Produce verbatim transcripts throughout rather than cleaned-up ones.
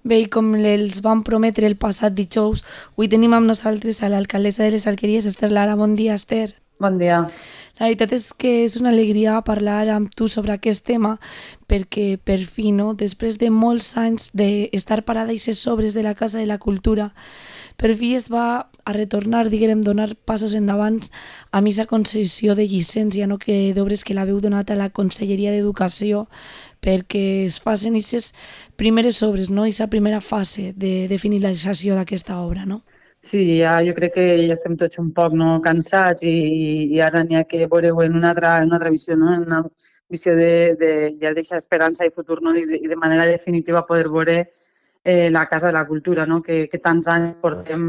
Bé, i com els vam prometre el passat dijous, avui tenim amb nosaltres a l'alcaldessa de les Alqueries, Esther Lara. Bon dia, Esther. Bon dia. La veritat és que és una alegria parlar amb tu sobre aquest tema perquè per fi, no, després de molts anys d'estar parada i ser sobres de la Casa de la Cultura, per fi es va a retornar, diguem, donar passos endavant a aquesta concessió de llicència, no, que d'obres que l'haveu donat a la Conselleria d'Educació perquè es facin aquestes primeres obres, no, aquesta primera fase de, de finalització d'aquesta obra, no? Sí, ja, jo crec que ja estem tots un poc no, cansats i, i ara n'hi ha que veure-ho en una altra, en una altra visió, no? En una visió de, de ja deixar esperança i futur, no? I de, i de manera definitiva poder veure eh, la Casa de la Cultura, no? Que, que tants anys portem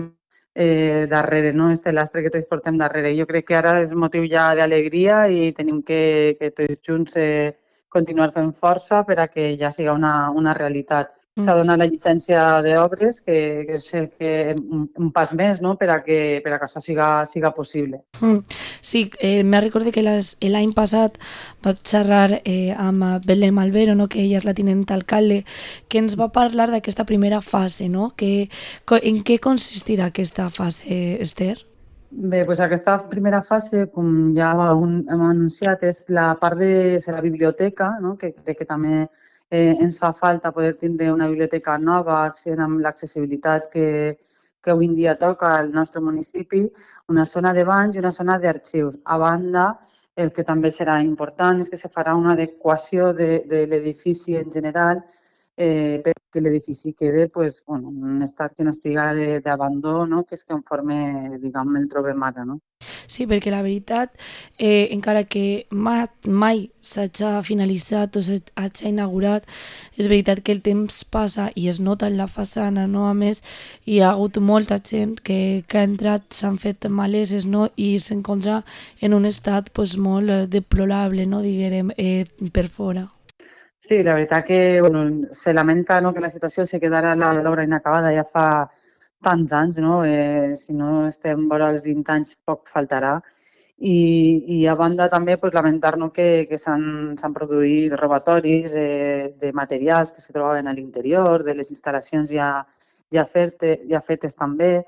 eh, darrere, no? Este lastre que tots portem darrere. Jo crec que ara és motiu ja d'alegria i tenim que, que tots junts eh, continuar fent força per a que ja siga una, una realitat. S'ha Mm. donat la llicència d'obres, que, que és el que, un, un pas més, no? per a que, per a que això siga, siga possible. Mm. Sí, eh, me recordo que les- l'any passat vaig xerrar eh, amb eh, Belén Malvero, no, que ella és la tinent alcalde, que ens va parlar d'aquesta primera fase, no? Que, co- en què consistirà aquesta fase, Esther? Bé, doncs aquesta primera fase, com ja un, hem anunciat, és la part de, de la biblioteca, no? Que crec que també eh, ens fa falta poder tindre una biblioteca nova, accedint amb l'accessibilitat que, que avui en dia toca al nostre municipi, una zona de banys i una zona d'arxius. A banda, el que també serà important és que se farà una adequació de, de l'edifici en general eh, perquè l'edifici quede pues, bueno, en un estat que no estiga de- d'abandó, no? Que és conforme, diguem, el trobem ara. No? Sí, perquè la veritat, eh, encara que mai, mai s'hagi finalitzat o s'hagi inaugurat, és veritat que el temps passa i es nota en la façana, no? A més, hi ha hagut molta gent que, que ha entrat, s'han fet maleses, no? I s'encontra en un estat pues, molt eh, deplorable, no? Diguem, eh, per fora. Sí, la veritat que bueno, se lamenta, no, que la situació se quedara la- l'obra inacabada ja fa tants anys, no? Eh, si no estem vora els vint anys, poc faltarà. I, i a banda també pues, lamentar, no, que, que s'han s'han produït robatoris eh, de materials que se trobaven a l'interior, de les instal·lacions ja, ja, ferte, ja fetes també.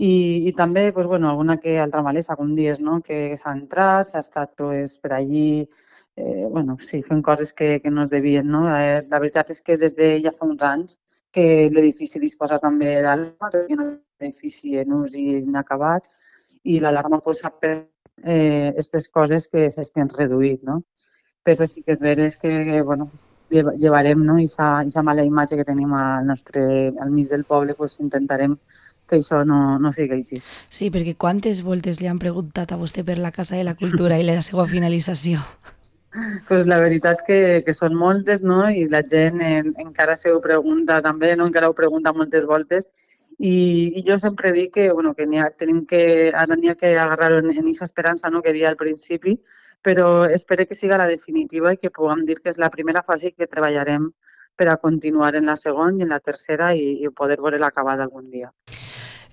I, i també pues, bueno, alguna que altra malesa, com dies, no? Que s'ha entrat, s'ha estat pues, per allí eh, bueno, sí, fent coses que, que no es devien, no? Eh, la veritat és que des de ja fa uns anys que l'edifici disposa també d'alarma, té un edifici en ús i inacabat, i l'alarma pues, sap per eh, aquestes coses que s'hagin reduït, no? Però sí que és veres que, que bueno, lleva- llevarem, no? I aquesta mala imatge que tenim al nostre, al mig del poble, pues, intentarem que això no, no sigui així. Sí, perquè quantes voltes li han preguntat a vostè per la Casa de la Cultura i la seva finalització? Pues la veritat que, que són moltes, no? I la gent en, encara se ho pregunta també, no? Encara ho pregunta moltes voltes. I, i jo sempre dic que, bueno, que, ha, tenim que ara n'hi ha que agarrar en aquesta esperança, no? Que dia al principi, però espero que siga la definitiva i que puguem dir que és la primera fase que treballarem per a continuar en la segona i en la tercera i, i poder veure l'acabada algun dia.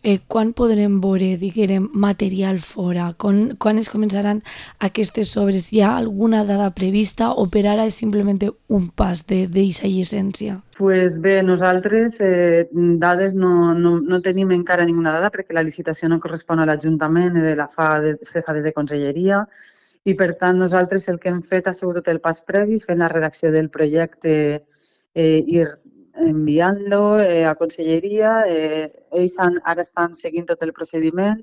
Eh, quan podrem veure, diguem, material fora? Quan, quan es començaran aquestes obres? Hi ha alguna dada prevista o per ara és simplement un pas d'aquesta llicència? Pues bé, nosaltres eh, dades no, no, no tenim encara ninguna dada perquè la licitació no correspon a l'Ajuntament, eh, la fa des, se fa des de Conselleria i per tant nosaltres el que hem fet ha sigut el pas previ fent la redacció del projecte eh, i enviant-lo eh, a Conselleria. Eh, ells han, ara estan seguint tot el procediment.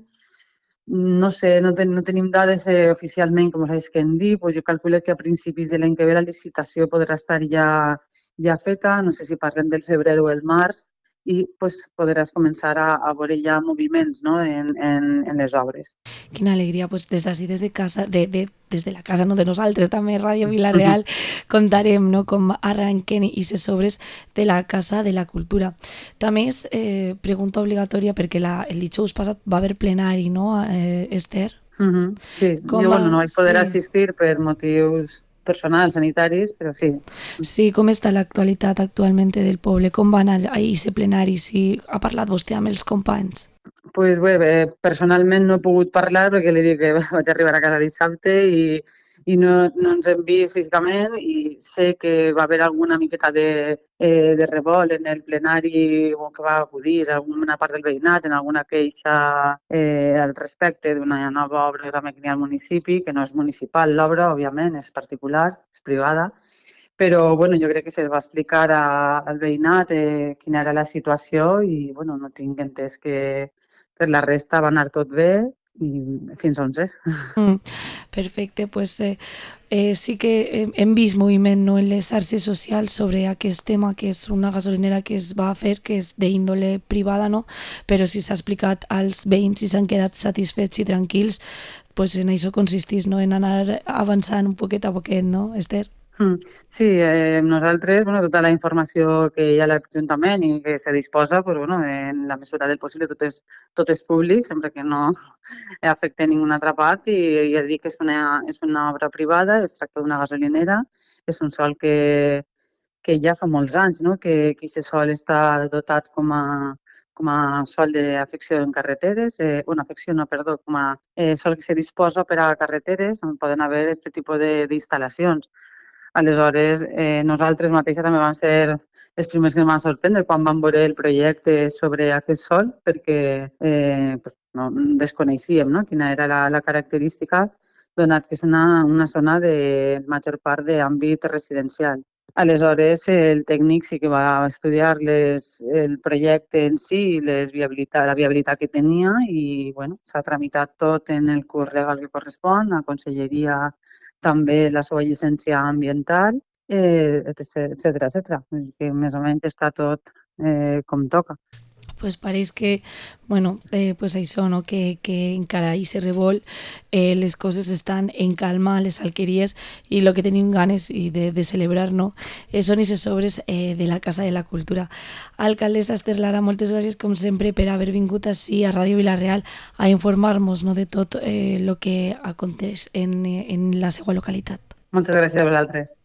No sé, no, ten, no tenim dades eh, oficialment, com us que en dir, pues jo calculo que a principis de l'any que ve la licitació podrà estar ja, ja feta, no sé si parlem del febrer o el març, i pues, podràs començar a, a veure ja moviments, no? en, en, en les obres. Quina alegria, pues des d'ací, des de casa, de, de, des de la casa, no de nosaltres, també Ràdio Vila-real, contarem, no, com arrenquen aquestes obres de la Casa de la Cultura. També és eh, pregunta obligatòria perquè la, el dijous passat va haver plenari, no, eh, Esther? Uh -huh. Sí, Com jo bueno, no va? vaig poder Sí. assistir per motius personals, sanitaris, però sí. Sí, com està l'actualitat actualment del poble? Com va anar a aquest plenari? Si ha parlat vostè amb els companys? Pues bé, bé, personalment no he pogut parlar perquè li dic que vaig arribar a casa dissabte i, i no, no ens hem vist físicament i sé que va haver alguna miqueta de, eh, de revolt en el plenari o que va acudir alguna part del veïnat en alguna queixa eh, al respecte d'una nova obra també que hi ha al municipi, que no és municipal l'obra, òbviament, és particular, és privada, però bueno, jo crec que se'ls va explicar a, al veïnat eh, quina era la situació i bueno, no tinc entès que per la resta va anar tot bé i fins on sé. Mm, perfecte, pues eh, eh, sí que hem, hem vist moviment, no, en les xarxes socials sobre aquest tema, que és una gasolinera que es va fer, que és d'índole privada, no? Però si s'ha explicat als veïns i s'han quedat satisfets i tranquils, pues en això consistís, no? En anar avançant un poquet a poquet, no, Esther? Mm. Sí, eh, nosaltres, bueno, tota la informació que hi ha a l'Ajuntament i que se disposa, pues, bueno, en la mesura del possible tot és, tot és públic, sempre que no afecte ningú altra part i, i ja dic que és una, és una obra privada, es tracta d'una gasolinera, és un sòl que, que ja fa molts anys, no? que, que aquest sòl està dotat com a, com a sòl d'afecció en carreteres, eh, bueno, afecció no, perdó, com a eh, sòl que se disposa per a carreteres on poden haver aquest tipus d'instal·lacions. Aleshores, eh, nosaltres mateixes també vam ser els primers que ens van sorprendre quan vam veure el projecte sobre aquest sòl, perquè eh, pues, no, desconeixíem no? quina era la, la característica, donat que és una, una zona de major part d'àmbit residencial. Aleshores, el tècnic sí que va estudiar les, el projecte en si, les viabilitat, la viabilitat que tenia i bueno, s'ha tramitat tot en el curs legal que correspon, a Conselleria també la seva llicència ambiental, eh, etcètera, etcètera, etcètera. Que més o menys està tot eh, com toca. Pues pareix que, bueno, eh, pues això, no? que, que encara hi se revol, eh, les coses estan en calma a les alqueries i el que tenim ganes i de, de celebrar, no? Eh, són aquestes obres eh, de la Casa de la Cultura. Alcaldessa Esther Lara, moltes gràcies com sempre per haver vingut així a Ràdio Vilareal a informar-nos, no, de tot el eh, que aconteix en, en la seva localitat. Moltes gràcies a vosaltres.